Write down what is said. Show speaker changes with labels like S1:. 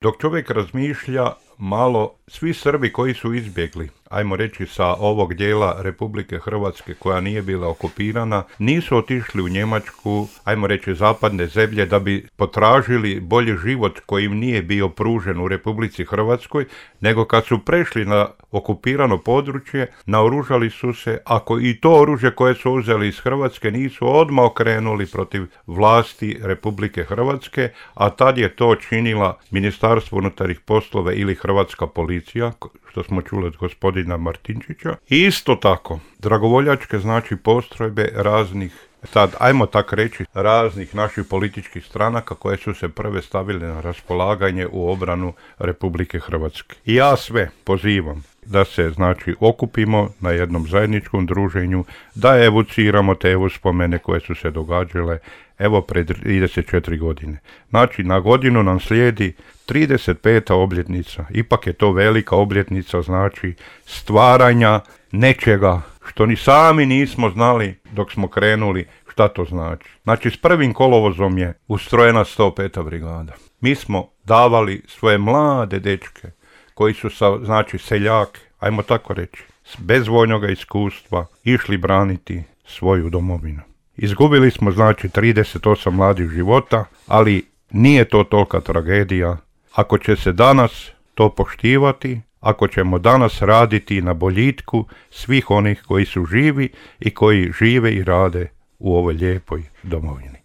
S1: Dok čovjek razmišlja malo, svi Srbi koji su izbjegli, ajmo reći sa ovog dijela Republike Hrvatske koja nije bila okupirana, nisu otišli u Njemačku, ajmo reći zapadne zemlje, da bi potražili bolji život koji im nije bio pružen u Republici Hrvatskoj, nego kad su prešli na okupirano područje, naoružali su se, ako i to oružje koje su uzeli iz Hrvatske nisu odmah okrenuli protiv vlasti Republike Hrvatske, a tad je to činila Ministarstvo unutarnjih poslova ili Hrvatska policija, što smo čuli od gospodina Martinčića. I isto tako, dragovoljačke znači postrojbe raznih, sad ajmo tak reći, raznih naših političkih stranaka koje su se prve stavile na raspolaganje u obranu Republike Hrvatske. I ja sve pozivam da se znači okupimo na jednom zajedničkom druženju, da evociramo te uspomene koje su se događale evo pred 34 godine. Znači na godinu nam slijedi 35. obljetnica, ipak je to velika obljetnica, znači stvaranja nečega što ni sami nismo znali dok smo krenuli šta to znači. Znači s 1. kolovozom je ustrojena 105. brigada. Mi smo davali svoje mlade dečke koji su znači seljake, ajmo tako reći, bez vojnog iskustva išli braniti svoju domovinu. Izgubili smo znači 38 mladih života, ali nije to tolika tragedija ako će se danas to poštivati, ako ćemo danas raditi na boljitku svih onih koji su živi i koji žive i rade u ovoj lijepoj domovini.